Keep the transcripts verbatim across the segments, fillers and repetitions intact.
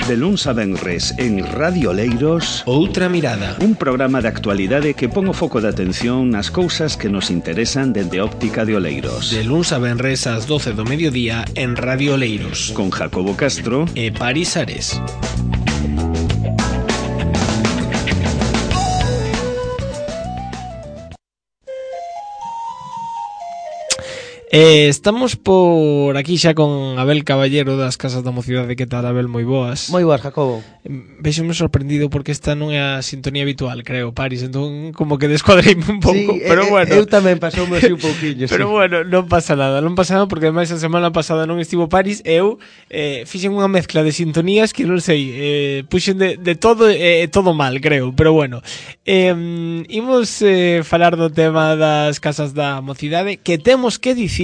De luns a venres en Radio Oleiros, Outra Mirada, un programa de actualidade que pon o foco de atención nas cousas que nos interesan dende óptica de Oleiros. De luns a venres ás doce do mediodía en Radio Oleiros, Con Jacobo Castro e Paris Ares. Eh, estamos por aquí xa con Abel Caballero das Casas da Mocidade. Que tal, Abel? Moi boas. Moi boas, Jacobo. Vexome sorprendido porque esta non é a sintonía habitual, creo, Paris. Entón, como que descuadreime un pouco, Sí, pero eh, bueno. Eu tamén pasoume así un pouquiño. Pero sí. bueno, non pasa nada, non pasa nada porque ademais a semana pasada non estivo Paris. Eu eh, fixen unha mezcla de sintonías que non sei, eh, puxen de, de todo e eh, todo mal, creo. Pero bueno, eh, imos eh, falar do tema das Casas da Mocidade, que temos que dicir,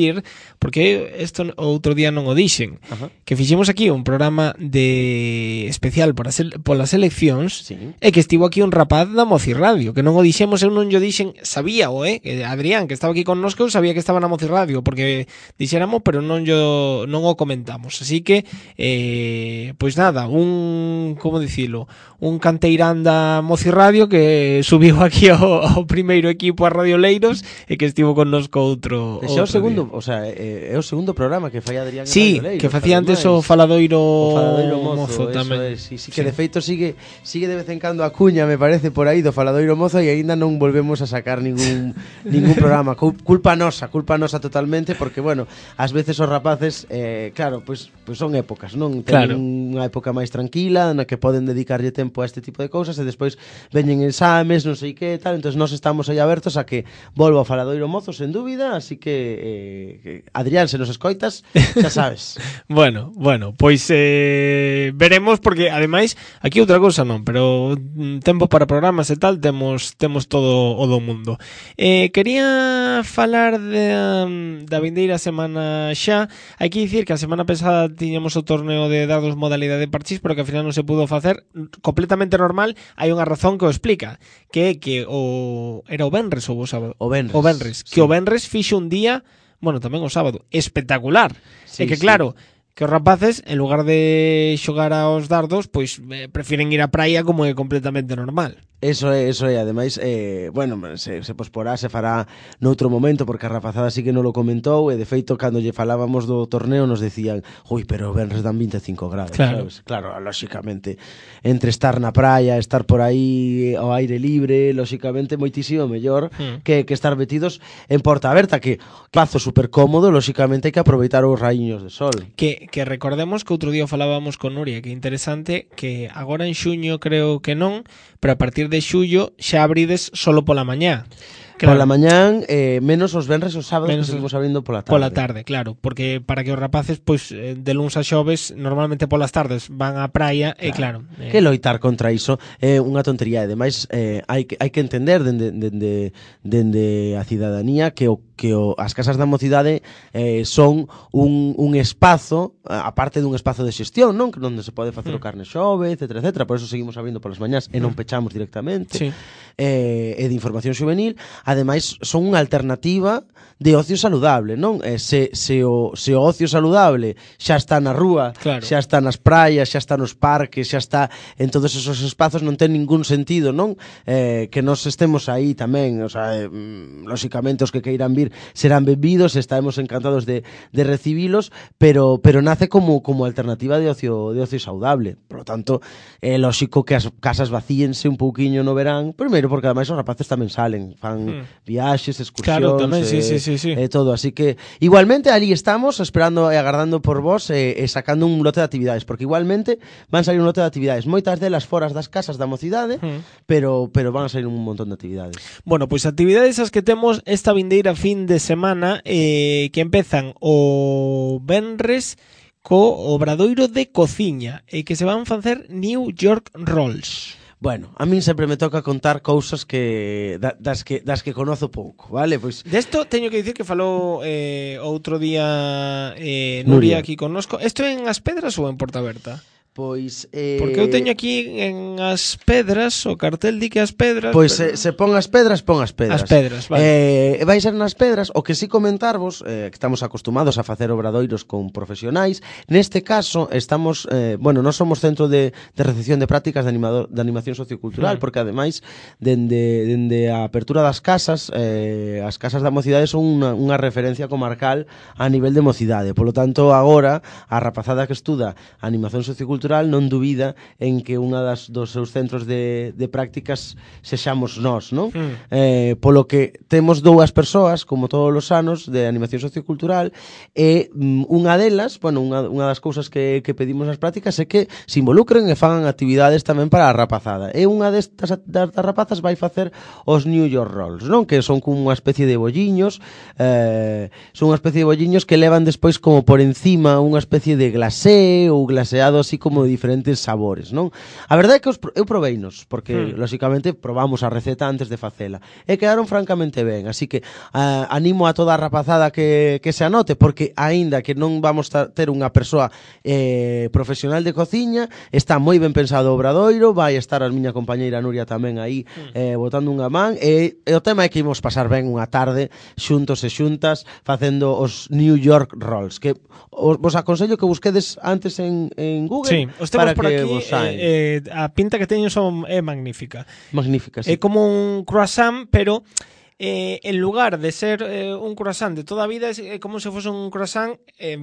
porque isto outro día non o dixen, Ajá. que fixemos aquí un programa de especial por as, polas eleccións, Sí. e que estivo aquí un rapaz da Moci Radio, que non o dixemos, eu non yo dixen, sabía o, eh, que Adrián, que estaba aquí connosco, eu sabía que estaba na Moci Radio, porque dixéramos, pero non yo non o comentamos. Así que, eh, pois nada, un, como dicilo, un canteirán da Moci Radio que subiu aquí ao, ao primeiro equipo a Radio Oleiros e que estivo connosco outro, Xa o outro segundo, día. o sea, é, é o segundo programa que fai Adrián en Sí, Radio Oleiros, que facía antes o ademais. Faladoiro, O Faladoiro Mozo, Mozo eso tamén. é, sí, sí, que de feito sigue sigue de vez en cando a cuña, me parece, por aí do Faladoiro Mozo, e aínda non volvemos a sacar ningún ningún programa. Cul- Culpa nosa, culpa nosa totalmente, porque bueno, ás veces os rapaces, eh, claro, pois pues, pues son épocas, non? Claro. Ten unha época máis tranquila na que poden dedicarlle tempo a este tipo de cousas e despois veñen exames, non sei que tal, entonces nós estamos aí abertos a que volva o Faladoiro Mozo, sen dúbida, así que, eh, que Adrián, se nos escoitas, xa sabes. Bueno, bueno, pois eh, veremos, porque ademais aquí outra cousa non, pero mm, tempo para programas e tal temos temos todo o do mundo. Eh, quería falar de, um, da vindeira semana xa. Hai que dicir que a semana pasada tiñamos o torneo de dados modalidade parchís, pero que ao final non se pudo facer completamente normal. Hai unha razón que o explica, que é que o era o venres ou o sábado? O venres. O venres, que Sí. o venres fixo un día, bueno, tamén o sábado, espectacular. Sí, É que sí. claro, que os rapaces, en lugar de xogar aos dardos, pois eh, prefiren ir á praia, como é completamente normal. Eso é, eso é, ademais, eh, bueno, se, se posporá, se fará noutro momento, porque a rapazada sí que non lo comentou, e de feito, cando lle falábamos do torneo, nos decían, ui, pero o venres dan vinte e cinco grados, Claro. sabes? Claro, lóxicamente, entre estar na praia, estar por aí ao aire libre, lóxicamente, moitísimo mellor Mm. que, que estar metidos en porta aberta, que pazo super cómodo, lóxicamente, hai que aproveitar os raíños de sol. Que, que recordemos que outro día falábamos con Nuria, que é interesante, que agora en xuño creo que non, pero a partir de xullo xa abrides solo pola mañá. Claro. Pola mañán, eh, menos os venres e os sábados, Menos que seguimos abrindo pola tarde. Pola tarde, claro, porque para que os rapaces, pois, eh, de luns a xoves, normalmente polas tardes van á praia, e claro. eh, Que loitar contra iso é unha tontería, e demais eh, hai, que, hai que entender dende, dende, dende a cidadanía que o que o, as casas da mocidade eh, son un, un espazo, a parte dun espazo de xestión, non? Que onde se pode facer mm. o carne xove, etcétera, etcétera. Por eso seguimos abrindo polas mañás e non pechamos directamente. Sí. Eh, e de información juvenil. Ademais, son unha alternativa de ocio saludable, non? Eh, se, se, o, se o ocio saludable xa está na rúa, Claro. xa está nas praias, xa está nos parques, xa está en todos esos espazos, non ten ningún sentido, non? Eh, que nos estemos aí tamén, o sea, eh, lóxicamente os que queiran vir serán benvidos, estaremos encantados de, de recibilos, pero pero nace como como alternativa de ocio de ocio saudable. Por lo tanto, é lóxico que as casas vacíense un pouquiño no verán, primeiro porque ademais os rapaces tamén salen, fan Hmm. viaxes, excursións, Claro, tamén, sí, eh, sí, sí, sí. eh, todo, así que igualmente ali estamos esperando e agardando por vos e eh, eh, sacando un lote de actividades, porque igualmente van salir un lote de actividades, moitas delas foras das casas da mocidade, Hmm. pero pero van a salir un montón de actividades. Bueno, pois actividades as que temos esta vindeira fin de semana, eh, que empezan o venres co obradoiro de cociña, e que se van facer New York Rolls. Bueno, a min sempre me toca contar cousas que da, das que das que conozo pouco, vale? Pois Desto teño que dicir que falou eh, outro día eh, Nuria, Nuria. aquí connosco. Isto en As Pedras ou en Porta Aberta? Pois eh... Porque eu teño aquí en As Pedras, o cartel di que As Pedras. Pois pero... se, se pon As Pedras, pon As Pedras. As Pedras, vale. Eh, vai ser nas Pedras, o que si comentarvos, eh, que estamos acostumados a facer obradoiros con profesionais, neste caso estamos, eh, bueno, non somos centro de, de recepción de prácticas de, animador, de animación sociocultural, mm. porque ademais, dende, dende a apertura das casas, eh, as casas da mocidade son unha, unha referencia comarcal a nivel de mocidade. Por lo tanto, agora, a rapazada que estuda animación sociocultural non dubida en que unha das dos seus centros de, de prácticas sexamos nós, non? Mm. Eh, polo que temos dúas persoas, como todos os anos, de animación sociocultural, e um, unha delas, bueno, unha, unha das cousas que, que pedimos nas prácticas é que se involucren e fagan actividades tamén para a rapazada. E unha destas das, das rapazas vai facer os New York Rolls, non? Que son como unha especie de bolliños, eh, son unha especie de bolliños que levan despois como por encima unha especie de glacé ou glaseado así como de diferentes sabores, non? A verdade é que os, eu proveinos, porque, hmm. lóxicamente, probamos a receta antes de facela, e quedaron francamente ben, así que uh, animo a toda a rapazada que, que se anote, porque, aínda que non vamos a ter unha persoa eh, profesional de cociña, está moi ben pensado o obradoiro, vai estar a miña compañeira Nuria tamén aí, hmm. eh, botando unha man, e, e o tema é que imos pasar ben unha tarde, xuntos e xuntas, facendo os New York Rolls, que os, vos aconsello que busquedes antes en, en Google. Sí, os temos por aquí, eh, eh, a pinta que teñen son é magnífica. Magnífica, sí. É como un croissant, pero eh, en lugar de ser eh, un croissant de toda a vida, é como se fose un croissant eh,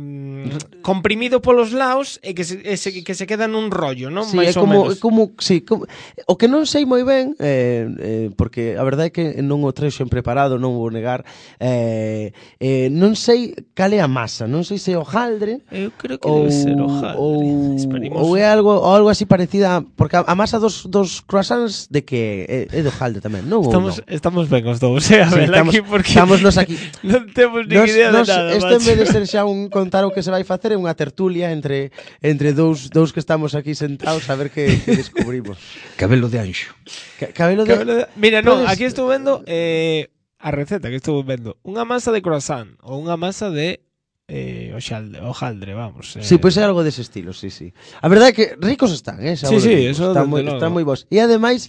comprimido polos lados e que se, ese, que se queda nun rollo, non? Sí, Mais é como, menos. É como, sí, como, o que non sei moi ben, eh, eh, porque a verdade é que non o treixo en preparado, non vou negar, eh, eh, non sei cal é a masa, non sei se é hojaldre. Eu creo que ou, debe ser hojaldre. Ou, ou é algo, ou algo así parecida, porque a, a masa dos, dos croissants de que é, é de hojaldre tamén, non? Estamos, non? estamos ben os dous. O sea, sí, estamos, aquí porque estamos nos aquí. Non temos ni nos, idea nos, de nada. Este en vez de ser xa un contar o que se vai facer é unha tertulia entre entre dous dous que estamos aquí sentados a ver que, que descubrimos. Cabelo de anxo. Ca, cabelo, de... cabelo de... Mira, non, aquí estou vendo eh, a receta que estou vendo. Unha masa de croissant ou unha masa de eh, hojaldre, hojaldre, vamos. Eh. Sí, pois pues é algo dese estilo, sí, sí. A verdade é que ricos están, eh, sí, sí, ricos. Eso están moi, están moi bons. E ademais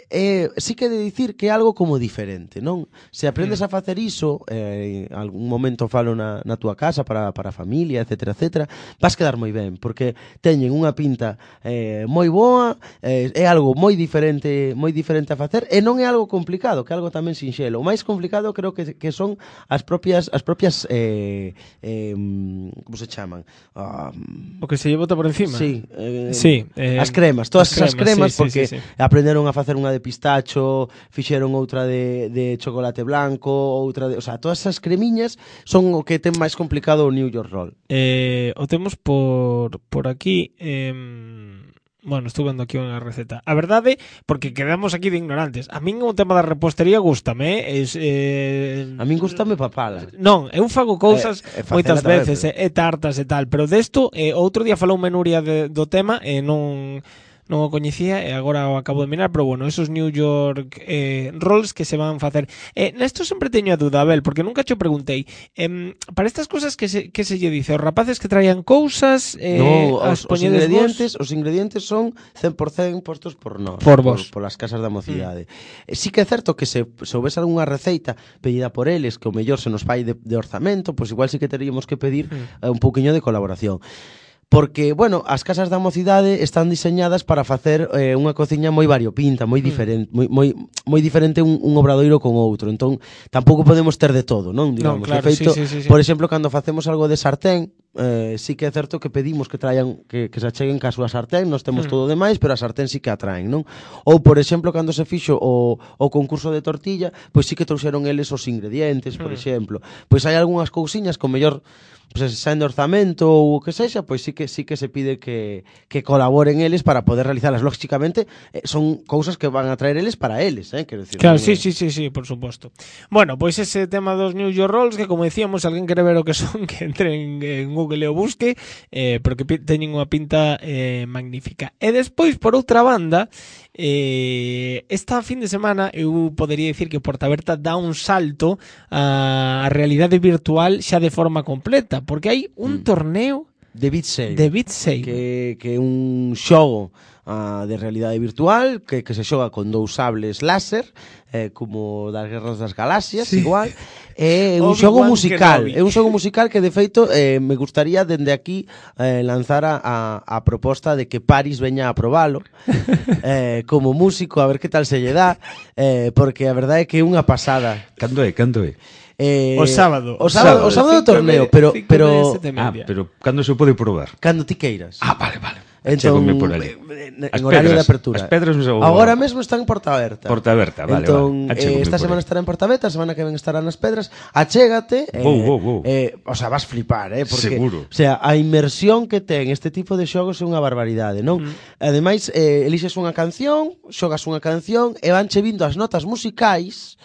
eh, sí que de dicir que é algo como diferente, non? Se aprendes mm. a facer iso, eh, en algún momento falo na, na túa casa para, para a familia, etcétera, etcétera, vas quedar moi ben, porque teñen unha pinta eh, moi boa, eh, é algo moi diferente, moi diferente a facer, e non é algo complicado, que é algo tamén sinxelo. O máis complicado creo que, que son as propias as propias eh, eh, como se chaman? Um, o que se lle bota por encima. Sí, eh, sí eh, as cremas, todas as cremas, sí, porque sí, sí, sí. aprenderon a facer unha de pistacho, fixeron outra de, de chocolate blanco, outra de, o sea, todas esas cremiñas son o que ten máis complicado o New York Roll. Eh, o temos por por aquí, eh, bueno, estou vendo aquí unha receta. A verdade, porque quedamos aquí de ignorantes. A min o tema da repostería gústame, eh, es, eh, a min gústame papala. Non, eu fago cousas eh, eh, moitas veces, pero... e eh, tartas e tal, pero desto, eh, outro día falou Menuria de, do tema e eh, non non o coñecía e agora o acabo de mirar, pero bueno, esos New York eh, rolls que se van facer. Eh, nesto sempre teño a duda, Abel, porque nunca cho preguntei. Eh, para estas cousas que se, que se lle dice, os rapaces que traían cousas, eh, no, as os, os ingredientes, vos... os ingredientes son cen por cento postos por nós, por vos, por, por as casas da mocidade. Mm. Sí que é certo que se, se houvese algunha receita pedida por eles, que o mellor se nos fai de, de orzamento, pois pues igual sí que teríamos que pedir mm. eh, un pouquiño de colaboración. Porque, bueno, as casas da mocidade están diseñadas para facer eh, unha cociña moi variopinta, moi diferente, moi, moi, moi diferente un, un obradoiro con outro. Entón, tampouco podemos ter de todo, non? Digamos, non, claro, de feito, sí, sí, sí, sí. Por exemplo, cando facemos algo de sartén, eh, sí que é certo que pedimos que traian que, que se acheguen ca súa sartén, nos temos mm. todo demais, pero a sartén sí que atraen, non? Ou, por exemplo, cando se fixo o, o concurso de tortilla, pois sí que trouxeron eles os ingredientes, por mm. exemplo. Pois hai algunhas cousiñas con mellor pues, xa en orzamento ou o que sexa, pois sí que sí que se pide que, que colaboren eles para poder realizalas. Lógicamente, eh, son cousas que van a traer eles para eles, eh, quero decir. Claro, sí, sí, sí, sí, por suposto. Bueno, pois pues ese tema dos New York Rolls, que como decíamos, alguén quere ver o que son, que entre en, en Google e o busque, eh, porque teñen unha pinta eh, magnífica. E despois, por outra banda, eh, esta fin de semana eu podería dicir que Porta Aberta dá un salto á realidade virtual xa de forma completa, porque hai un mm. torneo de Beat Saber. De Beat Saber. Que, que é un xogo uh, de realidade virtual que, que se xoga con dous sables láser, eh, como das Guerras das Galaxias, sí. igual. É un Obi-Wan xogo musical, Kenobi. é un xogo musical que de feito eh, me gustaría dende aquí eh, lanzar a, a, a proposta de que Paris veña a probalo eh, como músico, a ver que tal se lle dá, eh, porque a verdade é que é unha pasada. Cando é, cando é? Eh, O sábado. O sábado, o sábado do torneo, pero pero Ah, pero cando se pode probar? cando ti queiras. Ah, vale, vale. Entón, Chégome por ali. en, As en horario pedras, de apertura. as pedras non se vou- Agora mesmo están en Porta Aberta. Porta Aberta, vale, entón, vale. Achégome eh, esta por semana aí. estará en Porta Aberta, a semana que ven estará nas Pedras. Achégate. Eh, Vou, vou, vou. Eh, o sea, vas flipar, eh, porque Seguro. o sea, a inmersión que ten este tipo de xogos é unha barbaridade, non? Mm. Ademais, eh, elixes unha canción, xogas unha canción e vanche vindo as notas musicais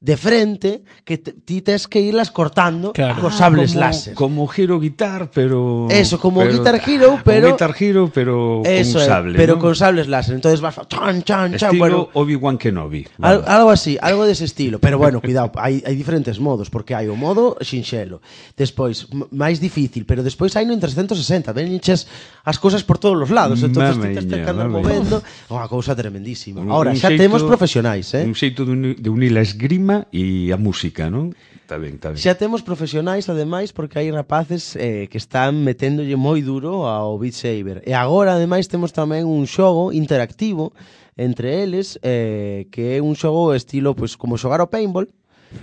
de frente que te, ti tes que irlas cortando Claro. cos sables como, láser. Como Hero Guitar, pero... Eso, como pero, Guitar Hero, pero- Como Guitar Hero, pero Eso con é, sable, pero ¿no? con sables láser. Entonces vas fa- chan chan chan, Estilo bueno, Obi-Wan Kenobi. Al, Vale. algo así, algo dese estilo. Pero bueno, cuidado, hai, hai diferentes modos, porque hai o modo xinxelo. Despois, m- máis difícil, pero despois hai no en trescentos sesenta, venches as cousas por todos os lados, entonces ti tes que Mamiña, andar mamiña. movendo, unha cousa tremendísima. Un- Ahora, un xa xeito- temos profesionais, eh? Un xeito de, uni- de unir a esgrima e a música, non? Está ben, está ben. Xa temos profesionais, ademais, porque hai rapaces eh, que están meténdolle moi duro ao Beat Saber. E agora, ademais, temos tamén un xogo interactivo entre eles, eh, que é un xogo estilo, pois, como xogar ao paintball,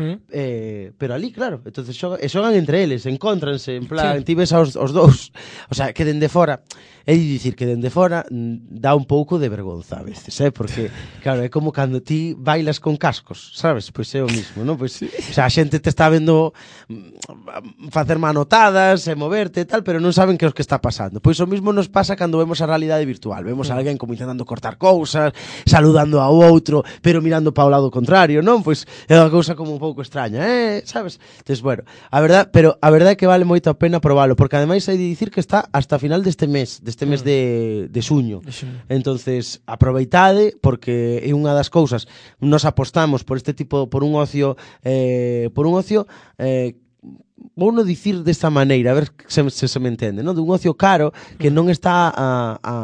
¿Mm? eh, pero ali, claro, entonces xogan, e xogan entre eles, encóntranse, en plan, Sí. ti ves aos, os dous, o sea, que dende fora, é dicir que dende fora mm, dá un pouco de vergonza a veces, eh? Porque, claro, é como cando ti bailas con cascos, sabes? Pois é o mismo, non? Pois, sí. O sea, a xente te está vendo mm, facer manotadas e moverte e tal, pero non saben que é o que está pasando. Pois o mismo nos pasa cando vemos a realidade virtual, vemos a alguén como intentando cortar cousas, saludando ao outro, pero mirando para o lado contrario, non? Pois é unha cousa como un pouco extraña, eh, sabes? Entonces, bueno, a verdad, pero a verdade é que vale moito a pena probalo, porque ademais hai de dicir que está hasta final deste mes, deste mes de, de suño. De suño. Entonces, aproveitade, porque é unha das cousas, nos apostamos por este tipo, por un ocio, eh, por un ocio, eh, vou non dicir desta maneira, a ver se, se, se me entende, non? De un ocio caro que non está a, a,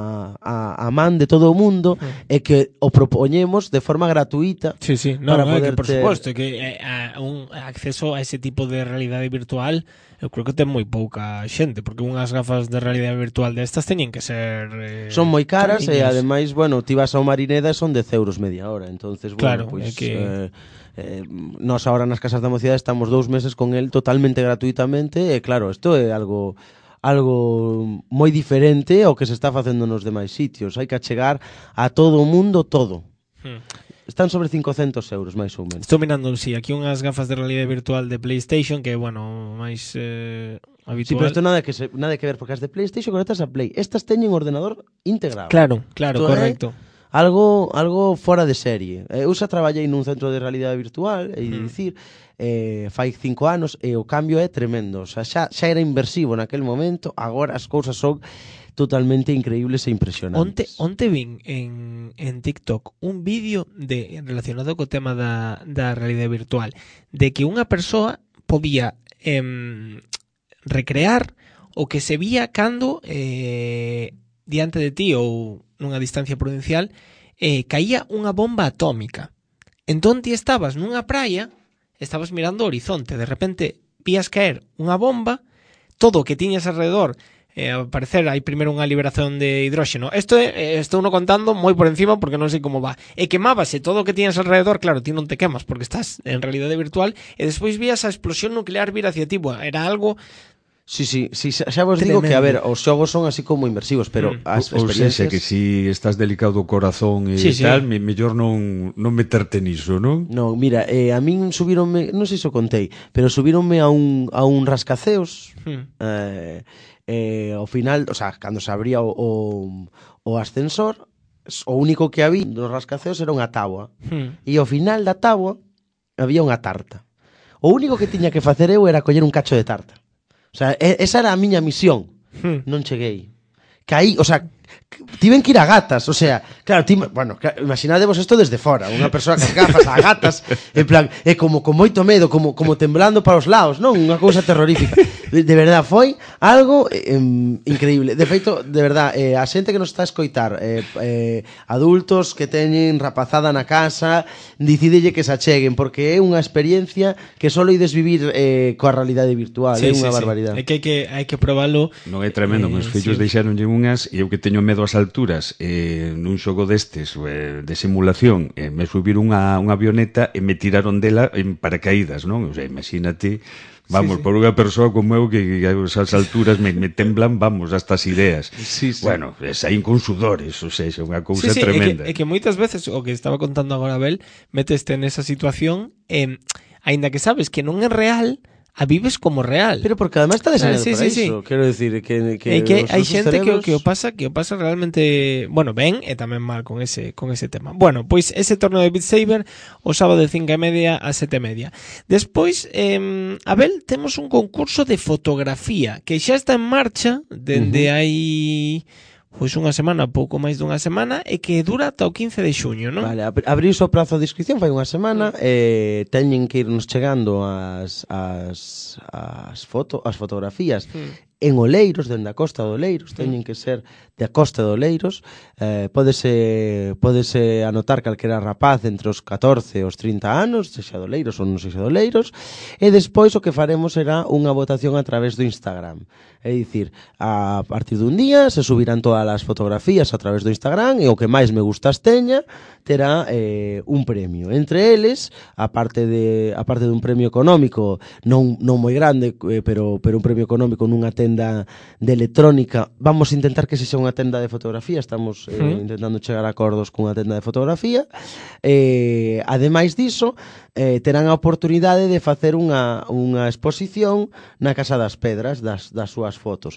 a, a man de todo o mundo e que o propoñemos de forma gratuita. Sí, sí, no, para no, poder que por ter- supuesto que eh, a, un acceso a ese tipo de realidade virtual eu creo que ten moi pouca xente, porque unhas gafas de realidade virtual destas teñen que ser eh, Son moi caras e cariñas. ademais, bueno, ti vas ao Marineda e son dez euros media hora, entonces, Claro, bueno, pois é que- eh, eh, nós agora nas Casas da Mocidade estamos dous meses con el totalmente gratuitamente e claro, isto é algo algo moi diferente ao que se está facendo nos demais sitios. Hai que achegar a todo o mundo todo. Hmm. Están sobre cincocentos euros, máis ou menos. Estou mirando, sí, aquí unhas gafas de realidade virtual de PlayStation que, bueno, máis eh, Sí, habitual. pero isto nada que se, nada que ver, porque as de PlayStation conectas a Play. Estas teñen ordenador integrado. Claro, claro, Isto é correcto. Algo algo fora de serie. Eh, Eu xa traballei nun centro de realidade virtual, e Mm. dicir, eh, fai cinco anos e o cambio é tremendo. O sea, xa, xa era inversivo naquel momento, agora as cousas son totalmente increíbles e Onte, impresionantes. onte vin en, en TikTok un vídeo de relacionado co tema da, da realidade virtual de que unha persoa podía em, recrear o que se vía cando eh, diante de ti ou nunha distancia prudencial eh, caía unha bomba atómica. Entón ti estabas nunha praia, estabas mirando o horizonte, de repente vías caer unha bomba, todo o que tiñas alrededor eh, ao parecer hai primeiro unha liberación de hidróxeno. Isto é, eh, estou no contando moi por encima porque non sei como va. E quemábase todo o que tiñas alrededor, claro, ti non te quemas porque estás en realidade virtual, e despois vías a explosión nuclear vir hacia ti. Bueno, era algo Sí, sí, sí, xa xa vos digo que, a ver, os xogos son así como inmersivos, pero Mm. as Ou seja, experiencias... que si estás delicado do corazón e Sí, sí. tal, me, mellor non, non meterte niso, non? No, mira, eh, a min subironme, non sei se o contei, pero subironme a un, a un rascaceos, Hmm. eh, eh, ao final, o sea, cando se abría o, o, o ascensor, o único que había nos rascaceos era unha táboa, Hmm. e ao final da táboa había unha tarta. O único que tiña que facer eu era coller un cacho de tarta. O sea, e- esa era a miña misión. Hmm. Non cheguei. Caí, o sea, tiven que ir a gatas, o sea, claro, ti, bueno, imaginadevos isto desde fora, unha persoa que as gafas a gatas, en plan, é como con moito medo, como como temblando para os lados, non? Unha cousa terrorífica. De, de verdad, foi algo eh, increíble. De feito, de verdad, eh, a xente que nos está a escoitar, eh, eh, adultos que teñen rapazada na casa, dicídelle que se acheguen, porque é unha experiencia que só ides vivir eh, coa realidade virtual, é Sí, unha sí, sí. barbaridade. É que hai que, hai que probalo. Non é tremendo, Eh, meus fillos sí. deixaronlle unhas e eu que teño medo ás alturas eh, nun xogo destes eh, de simulación eh, me subiron unha, unha avioneta e me tiraron dela en paracaídas, non? O sea, imagínate, vamos, Sí, sí. por unha persoa como eu que, que esas alturas me, me temblan, vamos, hasta as ideas. Sí, sí. Bueno, eh, saín con sudores, o sea, é unha cousa Sí, sí, tremenda. É que, é que moitas veces, o que estaba contando agora Abel, meteste nesa situación, eh, aínda que sabes que non é real, a vives como real. Pero porque además está diseñado Ah, sí, para sí, iso, quero decir que que É que os hai nosos xente que, o cerebros- que o pasa que o pasa realmente, bueno, ben e tamén mal con ese con ese tema. Bueno, pois ese torneo de Beat Saber o sábado de cinco e media a sete e media. Despois, eh, Abel, temos un concurso de fotografía que xa está en marcha dende Uh-huh. hai pois unha semana, pouco máis dunha semana, e que dura ata o quince de xuño, non? Vale, ab- abriuse o prazo de inscripción fai unha semana, eh, teñen que irnos chegando as as as foto, as fotografías Mm. en Oleiros, dende a Costa de Oleiros, teñen que ser de a Costa de Oleiros, eh, pódese, pódese anotar calquera rapaz entre os catorce e os trinta anos, sexa de Oleiros ou non sexa de Oleiros, e despois o que faremos será unha votación a través do Instagram. É dicir, a partir dun día se subirán todas as fotografías a través do Instagram e o que máis me gustas teña terá eh, un premio. Entre eles, a parte de a parte dun premio económico non non moi grande, eh, pero pero un premio económico nunha tenda de electrónica. Vamos a intentar que sexa unha tenda de fotografía, estamos eh, Mm. intentando chegar a acordos cunha tenda de fotografía. Eh, ademais diso, eh, terán a oportunidade de facer unha unha exposición na Casa das Pedras das das súas fotos.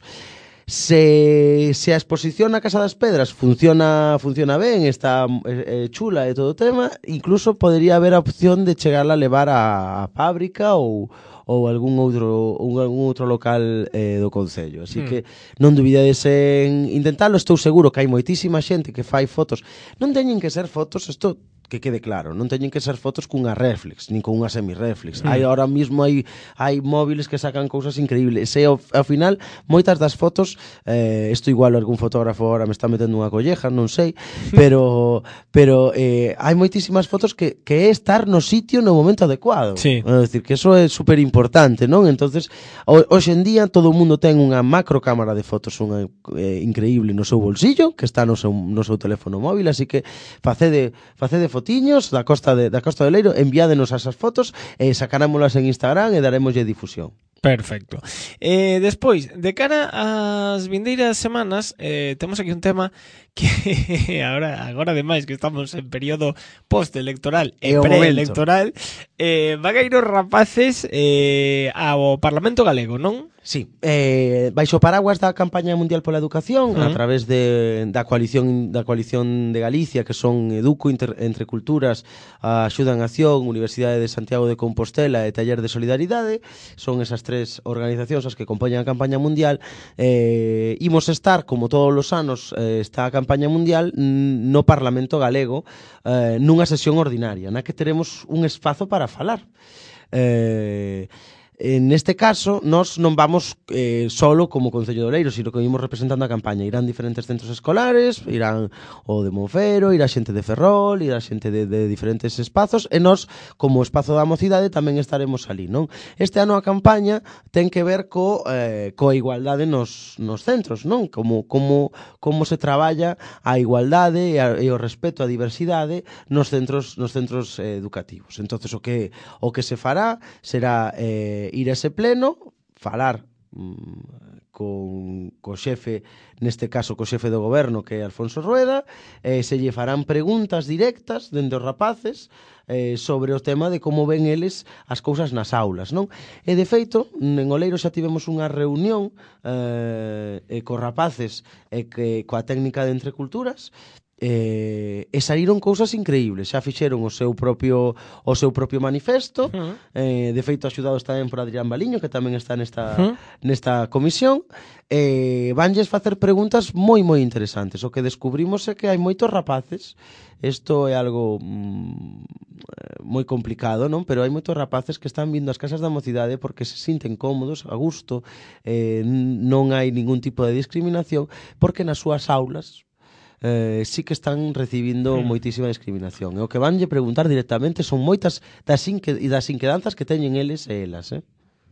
Se, se a exposición na Casa das Pedras funciona funciona ben, está eh, chula e todo o tema, incluso podería haber a opción de chegarla a levar a, a fábrica ou ou algún outro ou algún outro local eh, do concello. Así Mm. que non dubidedes en intentalo, estou seguro que hai moitísima xente que fai fotos. Non teñen que ser fotos, isto que quede claro, non teñen que ser fotos cunha reflex, nin con unha semi-reflex. Mm. Hai ahora mismo hai hai móviles que sacan cousas increíbles. E ao, ao final moitas das fotos, eh, isto igual algún fotógrafo ahora me está metendo unha colleja, non sei, pero pero eh, hai moitísimas fotos que que é estar no sitio no momento adecuado. Sí. É dicir, que eso é super importante, non? Entonces, ho, hoxe en día todo o mundo ten unha macro cámara de fotos, unha eh, increíble no seu bolsillo, que está no seu no seu teléfono móvil, así que facede facede fotiños da Costa de da Costa de Leiro, enviádenos esas fotos e sacarámolas en Instagram e darémoslle difusión. Perfecto. Eh, despois, de cara ás vindeiras semanas, eh, temos aquí un tema que agora, agora ademais que estamos en período post-electoral e É o pre-electoral, eh, van a ir os rapaces eh, ao Parlamento Galego, non? Sí, eh, baixo o paraguas da campaña mundial pola educación, Uh-huh. a través de, da coalición da coalición de Galicia, que son Educo, Inter, Entre Culturas, a Axuda en Acción, Universidade de Santiago de Compostela e Taller de Solidaridade, son esas tres organizacións as que compoñen a campaña mundial. Eh, imos estar, como todos os anos, eh, está a campaña mundial n- no Parlamento Galego, eh, nunha sesión ordinaria, na que teremos un espazo para falar. Eh, En este caso, nós non vamos eh, solo como Concello de Oleiros, sino que imos representando a campaña. Irán diferentes centros escolares, irán o de Monfero, irá xente de Ferrol, irá xente de, de diferentes espazos, e nós, como espazo da mocidade, tamén estaremos ali, non? Este ano a campaña ten que ver co, eh, coa igualdade nos, nos centros, non? Como, como, como se traballa a igualdade e, a, e o respeto á diversidade nos centros, nos centros eh, educativos. Entonces, o que, o que se fará será eh, ir a ese pleno, falar mm, con co xefe, neste caso co xefe do goberno, que é Alfonso Rueda, eh, se lle farán preguntas directas dende os rapaces eh, sobre o tema de como ven eles as cousas nas aulas, non? E de feito, en Oleiro xa tivemos unha reunión eh, e cos rapaces e que coa técnica de Entre Culturas, eh, e saíron cousas increíbles. Xa fixeron o seu propio o seu propio manifesto, uh-huh. eh, de feito axudados tamén por Adrián Baliño, que tamén está nesta uh-huh. nesta comisión. Eh, vanlles facer preguntas moi moi interesantes. O que descubrimos é que hai moitos rapaces. Isto é algo mm, moi complicado, non? Pero hai moitos rapaces que están vindo ás casas da mocidade porque se sinten cómodos, a gusto, eh, non hai ningún tipo de discriminación, porque nas súas aulas Eh, sí que están recibindo mm. moitísima discriminación. E o que vanlle preguntar directamente son moitas das, inque, das inquedanzas que teñen eles e elas, eh?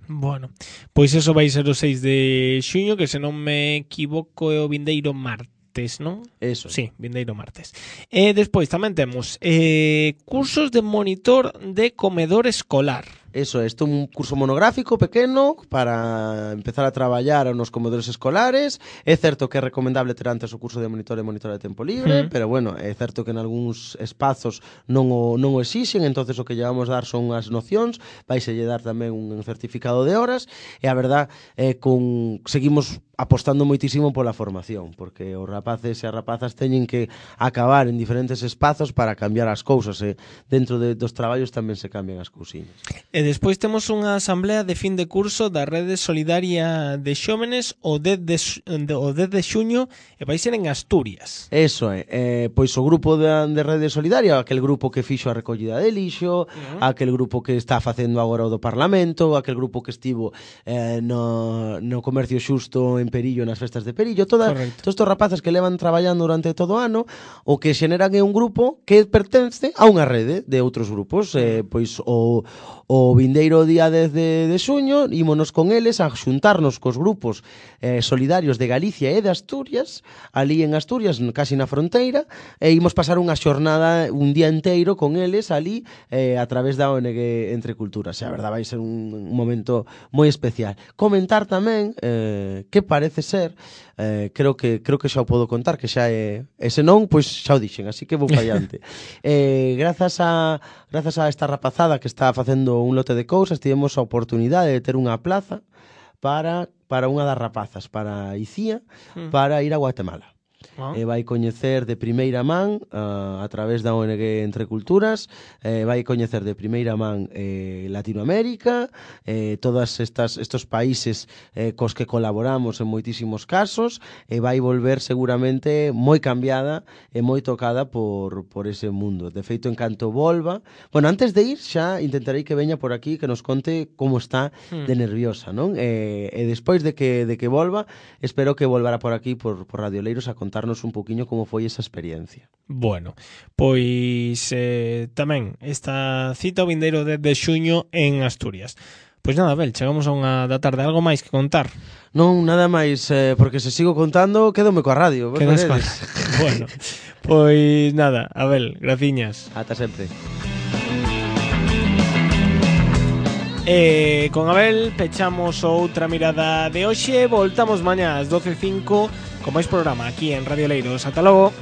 Bueno, pois eso vai ser o seis de xuño, que se non me equivoco é o vindeiro martes, non? Eso. Sí, vindeiro martes. E despois tamén temos eh, cursos de monitor de comedor escolar. Eso, isto é un curso monográfico pequeno para empezar a traballar nos comedores escolares. É certo que é recomendable ter antes o curso de monitor e monitora de tempo libre, mm. pero bueno, é certo que en algúns espazos non o, non o exixen, entonces o que lle vamos dar son as nocións, vaise lle dar tamén un certificado de horas, e a verdad, eh, con seguimos apostando moitísimo pola formación, porque os rapaces e as rapazas teñen que acabar en diferentes espazos para cambiar as cousas, e dentro de, dos traballos tamén se cambian as cousiñas. E despois temos unha asamblea de fin de curso da Rede Solidaria de Xóvenes o dez de xuño, e vai ser en Asturias. Eso é, eh, pois o grupo de, de Rede Solidaria, aquel grupo que fixo a recollida de lixo, uh-huh. aquel grupo que está facendo agora o do Parlamento, aquel grupo que estivo eh, no, no comercio xusto en Perillo, nas festas de Perillo, toda, todos estes rapaces que levan traballando durante todo o ano, o que xeneran é un grupo que pertence a unha rede de outros grupos, eh, pois o O vindeiro día dez de, de xuño ímonos con eles a xuntarnos cos grupos eh, solidarios de Galicia e de Asturias, ali en Asturias, casi na fronteira, e imos pasar unha xornada, un día enteiro con eles ali eh, a través da O N G Entre Culturas. E a verdade vai ser un, un momento moi especial. Comentar tamén eh, que parece ser, eh, creo que creo que xa o podo contar, que xa é, e se non, pois xa o dixen, así que vou fallante. eh, grazas a grazas a esta rapazada que está facendo un lote de cousas, tivemos a oportunidade de ter unha plaza para, para unha das rapazas, para Icía, mm. para ir a Guatemala. Ah. E vai coñecer de primeira man uh, a través da O N G Entre Culturas, eh, vai coñecer de primeira man eh, Latinoamérica, eh, todos estas, estos países eh, cos que colaboramos en moitísimos casos, e vai volver seguramente moi cambiada e moi tocada por, por ese mundo. De feito, en canto volva, bueno, antes de ir xa intentarei que veña por aquí, que nos conte como está de nerviosa, non? E, e despois de que, de que volva, espero que volvara por aquí por, por Radio Leiros a contarnos un poquinho como foi esa experiencia. Bueno, pois eh, tamén esta cita o vindeiro dez de xuño en Asturias. Pois nada, Abel, chegamos a unha da tarde. Algo máis que contar? Non, nada máis, eh, porque se sigo contando quedome coa radio. Quedas coa... Bueno, pois nada, Abel, graciñas. Ata sempre. E con Abel pechamos outra mirada de hoxe. Voltamos mañá ás doce e cinco con máis programa aquí en Radio Leiros. Ata logo.